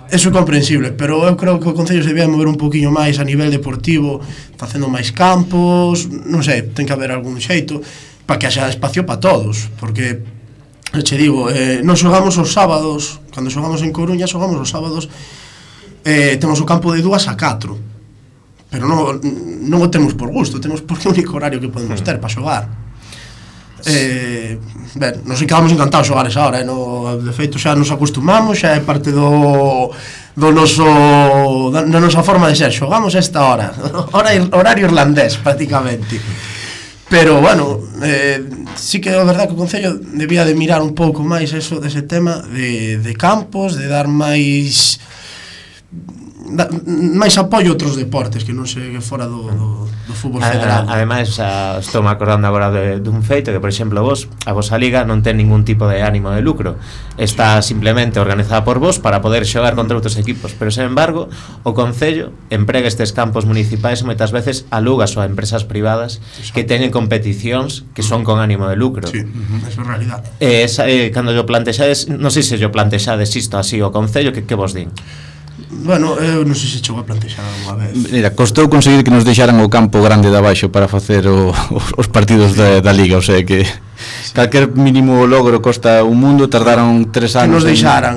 Eso é comprensible, pero eu creo que o Concello se debía mover un poquinho máis a nivel deportivo, facendo máis campos, non sei, ten que haber algún xeito para que haxa espacio para todos, porque che digo, non xogamos os sábados, cando xogamos en Coruña xogamos os sábados. Temos o campo de 2 a 4, pero non o temos por gusto, temos porque é o único horario que podemos ter para xogar. Ben, nos quedamos encantados xogar esa hora, de feito xa nos acostumamos, xa é parte da nosa forma de ser. Xogamos esta hora, horario irlandés prácticamente. Pero, bueno, sí que é verdad que o Concello debía de mirar un pouco máis eso dese tema de campos, de dar máis apoio a outros deportes que non se fora do fútbol federal. Ademais, estou me acordando agora dun feito que, por exemplo, a vosa liga non ten ningún tipo de ánimo de lucro, está simplemente organizada por vos para poder xogar contra outros equipos, pero, sen embargo, o Concello emprega estes campos municipais e moitas veces alugas a empresas privadas que teñen competicións que son con ánimo de lucro. Sí, eso é realidad. Cando yo plantexades, non sei se yo plantexades isto así o Concello, que vos din? Bueno, eu non sei se chegou a plantexar alguna vez. Mira, costou conseguir que nos deixaran o campo grande de abaixo para facer os partidos da Liga, o sea que calquer mínimo logro costa un mundo, tardaron 3 anos. Que nos deixaran,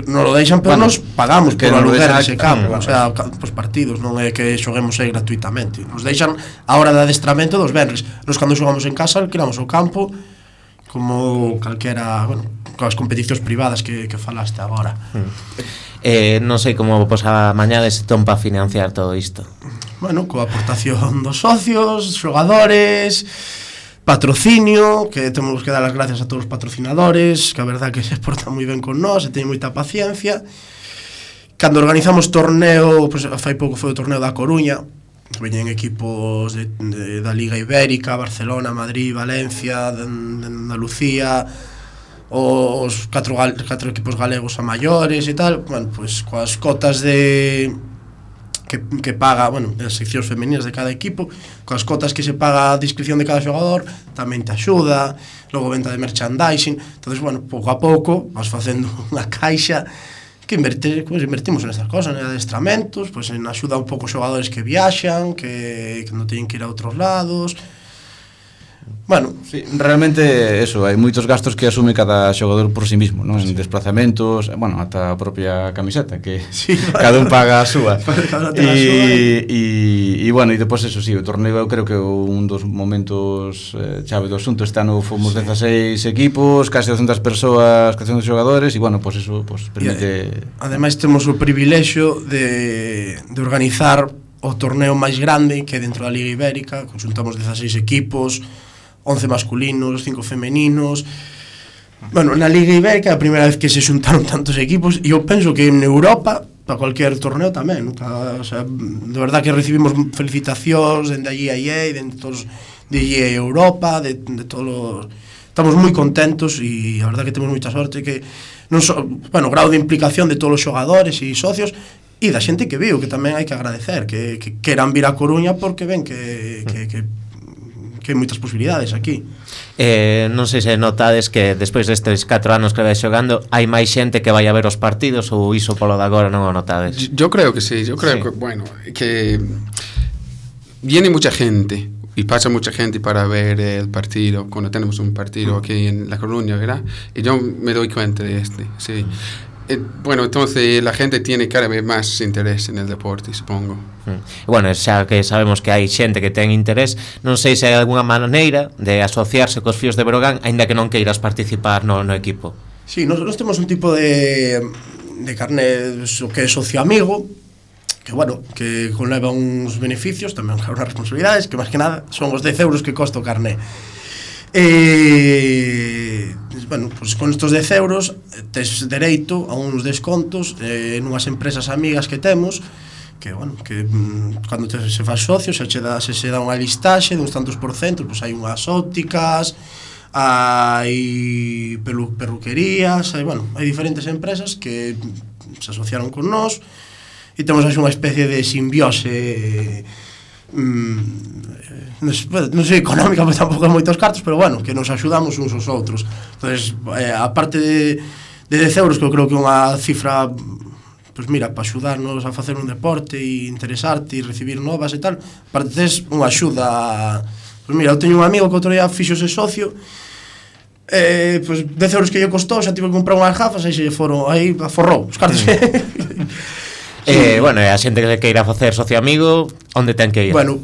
non lo deixan, pero nos pagamos por aluguer ese campo, o sea, os partidos, non é que xoguemos aí gratuitamente. Nos deixan a hora de adestramento dos venres. Nos cando xogamos en casa alquilamos o campo como calquera, bueno, coas competicións privadas que falaste agora. Non sei como vos amañades para financiar todo isto. Bueno, coa aportación dos socios, xogadores, patrocinio, que temos que dar as gracias a todos os patrocinadores, que a verdad que se portan moi ben con nós e teñen moita paciencia. Cando organizamos torneo, pues, fai pouco foi o torneo da Coruña, veñen equipos da Liga Ibérica, Barcelona, Madrid, Valencia, de Andalucía, os 4 equipos galegos a maiores e tal. Bueno, pues coas cotas que paga, bueno, as seccións femeninas de cada equipo, coas cotas que se paga a inscripción de cada xogador, tamén te axuda, logo venta de merchandising. Entonces, bueno, pouco a pouco vas facendo unha caixa que invertimos en estas cosas, en adestramentos, pues en axuda un pouco os xogadores que viaxan, que non teñen que ir a outros lados. Bueno, sí, realmente eso, hai moitos gastos que asume cada xogador por sí mismo, non? En desplazamentos, bueno, ata a propia camiseta que sí, cada un paga a súa. E bueno, e depois eso sí, o torneo eu creo que un dos momentos chave do asunto. Este ano fomos 16 equipos, case 200 persoas, 400 xogadores e bueno, pois eso pois permite. Ademais temos o privilexio de organizar o torneo máis grande que é dentro da Liga Ibérica, conjuntamos 16 equipos, 11 masculinos, 5 femeninos. Bueno, na Liga Ibérica é a primeira vez que se xuntaron tantos equipos e eu penso que en Europa para cualquier torneo tamén, o sea, de verdad que recibimos felicitacións dende a GIA, dende todos de GIA Europa, de todos. Estamos moi contentos e a verdad que temos moita sorte que non bueno, grado de implicación de todos os xogadores e socios e da xente que viu, que tamén hai que agradecer que queran vir a Coruña porque ven que hai moitas posibilidades aquí. Non sei se notades que despois destes 4 anos que vais xogando hai máis xente que vai a ver os partidos ou iso polo de agora non o notades? Yo creo que sí, yo creo que, bueno, que viene mucha gente y pasa mucha gente para ver el partido cuando tenemos un partido aquí en La Coruña, ¿verdad? Y yo me doy cuenta de sí. Bueno, entonces la gente tiene cada vez más interés en el deporte, supongo. Bueno, xa que sabemos que hai xente que ten interés, non sei se hai algunha maneira de asociarse cos Fíos de Breogán, aínda que non queiras participar no equipo. Sí, nós temos un tipo de carné que é socio amigo, que bueno, que conleva uns beneficios, tamén unhas responsabilidades, que máis que nada son os 10 euros que costa o carné. Bueno, pues con estos 10 euros tes dereito a uns descontos nunhas empresas amigas que temos que, bueno, que cando se faz socio se dá unha listaxe de uns tantos porcentos, pues hai unhas ópticas, hai perruquerías, hai diferentes empresas que se asociaron con nós e temos así unha especie de simbiose non sei económica, porque tampouco hai moitos cartos, pero bueno, que nos axudamos uns aos outros. Entonces, a parte de 10 euros, que eu creo que é unha cifra, pues mira, para axudarnos a facer un deporte e interesarte e recibir novas e tal, aparte tes unha axuda. Pues mira, eu teño un amigo que outro día fixose socio, pues 10 euros que lle costou, xa tive que comprar unhas gafas, aí se lle foron, aí aforrou os cartos. Bueno, a xente que queira facer socio amigo, onde ten que ir? Bueno,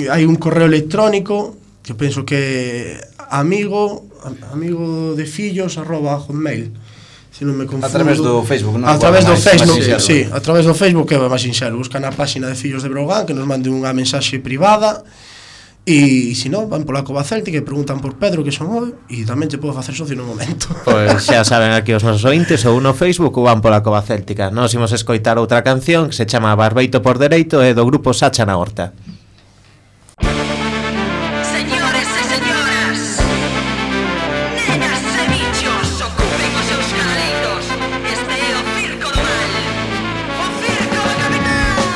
hai un correo electrónico que penso que amigo de fillos@hotmail, se non me confundo. A través do Facebook, non? A través do Facebook, sí, a través do Facebook é máis sinxelo. Buscan a páxina de Fillos de Breogán, que nos mande unha mensaxe privada. E se non, van pola Cova Céltica e preguntan por Pedro, que son eu, e tamén te podo facer socio no momento. Pois xa saben aquí os nosos ointes, ou no Facebook ou van pola Cova Céltica. Nos imos escoitar outra canción que se chama Barbeito por Dereito e do grupo Sacha na Horta. Señores e señoras, nenas e bichos, ocupen os seus caleiros. Este é o Circo do Mal, o Circo do Capital.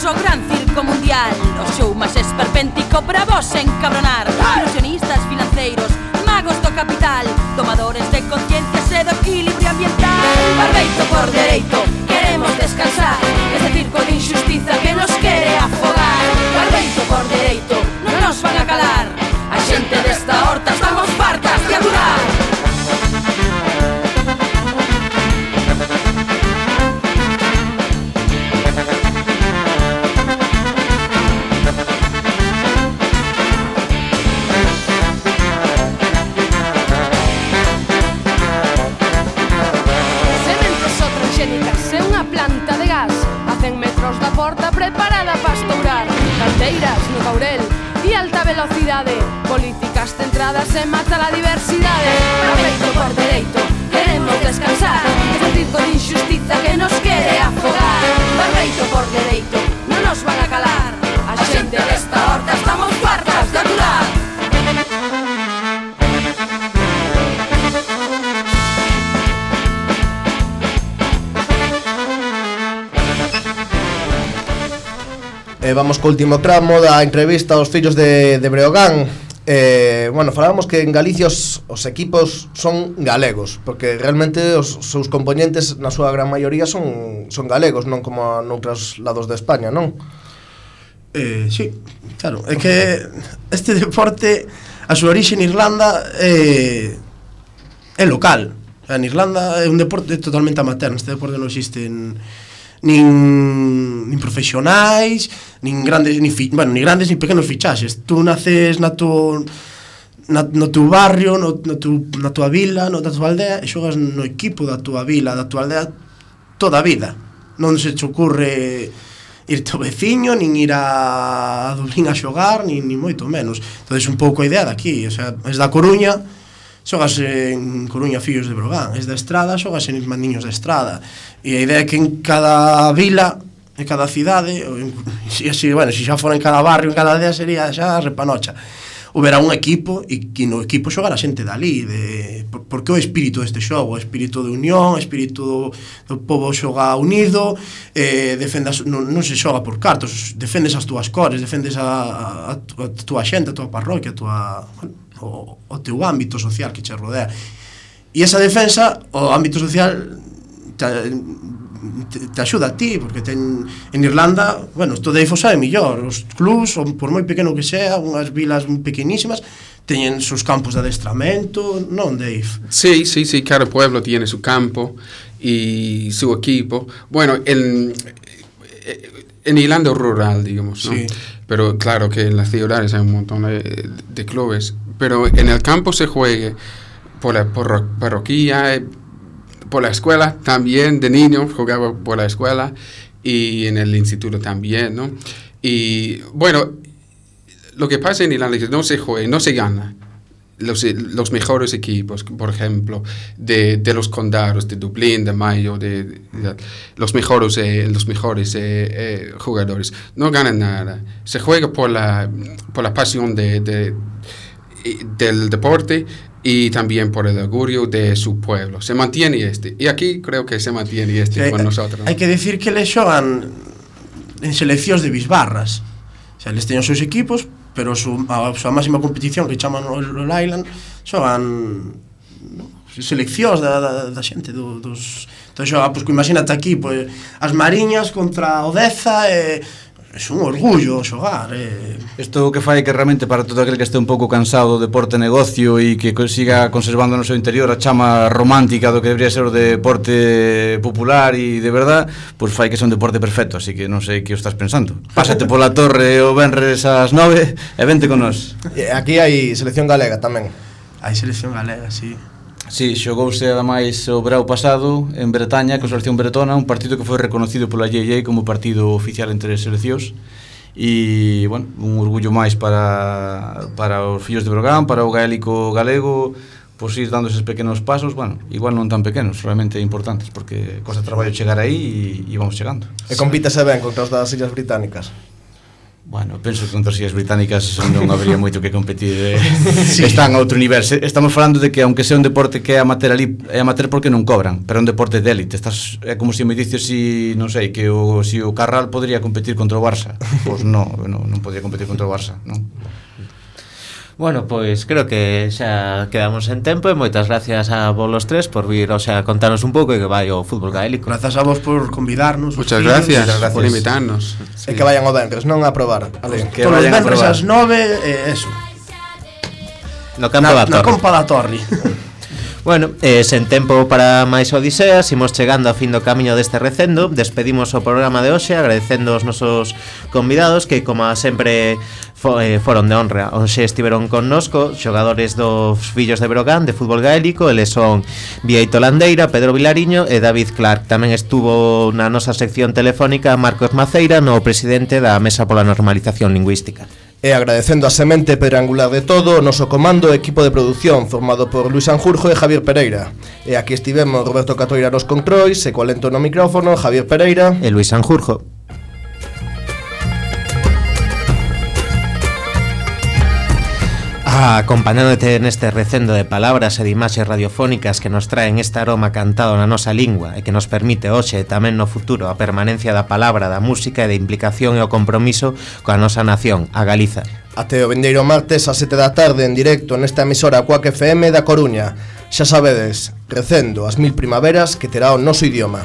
O gran circo mundial, o show máis esperpéntico para vos encabronar. Ilusionistas financeiros, magos do capital, tomadores de conciencias e do equilibrio ambiental. Barbeito por dereito, queremos descansar deste circo de injustiza que nos quere afogar. Barbeito por dereito, non nos van a calar. A xente desta horta estamos fartas de adorar. Preparada para estourar canteiras no Caurel e alta velocidade, políticas centradas en matar a diversidade. Barbeito por dereito, queremos descansar deste circo de injustiza que nos quere afogar. Barbeito por dereito, non nos van a calar. A xente desta horta estamos fartas de adorar. Vamos co último tramo da entrevista aos fillos de Breogán. Bueno, falábamos que en Galicia os equipos son galegos, porque realmente os seus componentes na súa gran maioría son galegos, non como noutros lados de España, non? Sí, claro, é que este deporte a súa orixe en Irlanda é local. En Irlanda é un deporte totalmente amateur. Este deporte non existe nin profesionais, nin grandes nin pequenos fichaxes. Tú naces no teu barrio, na tua vila, na tua aldea, e xogas no equipo da tua vila, da tua aldea toda a vida. Non se te ocurre irte ao veciño, nin ir a Dublín a xogar, nin moito menos. Entón, un pouco a idea daqui, o sea, es da Coruña, xogas en Coruña Fillos de Breogán, es da Estrada, xogas en Mandiños da Estrada. E a idea é que en cada vila, en cada cidade, se xa fora en cada barrio, en cada aldea, sería xa repanocha. Houbera un equipo e que no equipo xogar a xente dali, porque o espírito deste xogo, o espírito de unión, o espírito do povo xoga unido, non se xoga por cartos, defendes as túas cores, defendes a túa xente, a túa parroquia, o teu ámbito social que che rodea. E esa defensa, o ámbito social te axuda a ti, porque en Irlanda, bueno, isto de Eifo sabe millor, os clubs, por moi pequeno que sea, unhas vilas pequenísimas, teñen sus campos de adestramento, non, Dave? Sí, cada pueblo tiene su campo y su equipo. Bueno, en Irlanda rural, digamos, ¿no? Sí. Pero claro que en las ciudades hay un montón de clubes, pero en el campo se juega por la parroquia, por la escuela también, de niño jugaba por la escuela y en el instituto también, ¿no? Y bueno, lo que pasa en Irlanda es que no se juega, no se gana. Los mejores equipos, por ejemplo, de los condados, de Dublín, de Mayo, de los mejores jugadores, no ganan nada. Se juega por la pasión del deporte y también por el orgullo de su pueblo. Se mantiene y aquí creo que se mantiene con nosotros. Hai que decir que les xogan en seleccións de bisbarras. O sea, les teñen os seus equipos, pero a súa máxima competición, que chaman o Island, xogan seleccións da xente dos... Entón xoga, pois, imagínate aquí, pois, as Mariñas contra o Deza, é un orgullo xogar. Isto que fai que realmente para todo aquel que este un pouco cansado do deporte negocio e que siga conservando no seu interior a chama romántica do que debería ser o deporte popular e de verdad, pois fai que sea un deporte perfecto, así que non sei que o estás pensando. Pásate pola torre o venres ás 9 e vente con nós. Aquí hai selección galega tamén. Hai selección galega, sí. Sí, xogouse ademais o verao pasado en Bretaña con a selección bretona, un partido que foi reconocido pola JJ como partido oficial entre as seleccións e, bueno, un orgullo máis para os fillos de Breogán, para o gaélico galego, pois ir dando eses pequenos pasos, bueno, igual non tan pequenos, realmente importantes, porque costa traballo chegar aí e vamos chegando. E compítese ben contra os das Illas Británicas? Bueno, penso que contra as Illas Británicas non habría moito que competir, sí. Están a outro nivel. Estamos falando de que, aunque sea un deporte que é amateur ali, é amateur porque non cobran, pero é un deporte de élite. É como se me dices, non sei, que o Carral podría competir contra o Barça. Pois non podría competir contra o Barça, non? Bueno, pois creo que xa quedamos en tempo e moitas gracias a vos los tres por vir, o sea, contarnos un pouco e que vai o fútbol gaélico. Grazas a vos por convidarnos. Muchas gracias por invitarnos. E que vayan o venres, non a probar. Que vayan a probar. Todos os venres ás 9, eso. No campo da Torre. Na compa da Torre. Bueno, sen tempo para máis odiseas, imos chegando ao fin do camiño deste recendo. Despedimos o programa de hoxe agradecendo aos nosos convidados que, como sempre, foron de honra. Hoxe estiveron connosco xogadores dos Fillos de Breogán de fútbol gaélico. Eles son Bieito Landeira, Pedro Vilariño e David Clark. Tamén estuvo na nosa sección telefónica Marcos Maceira, no presidente da Mesa pola Normalización Lingüística. E agradecendo a semente pedrangular de todo o noso comando e equipo de produción formado por Luis Sanjurjo e Javier Pereira. E aquí estivemos Roberto Catoira nos controis e coa lento no micrófono Javier Pereira e Luis Sanjurjo. Acompañándote neste recendo de palabras e de imaxes radiofónicas que nos traen este aroma cantado na nosa lingua e que nos permite hoxe e tamén no futuro a permanencia da palabra, da música e da implicación e o compromiso coa nosa nación, a Galiza. Até o vindeiro martes a 7 da tarde en directo nesta emisora Cuac FM da Coruña. Xa sabedes, recendo as 1000 primaveras que terá o noso idioma.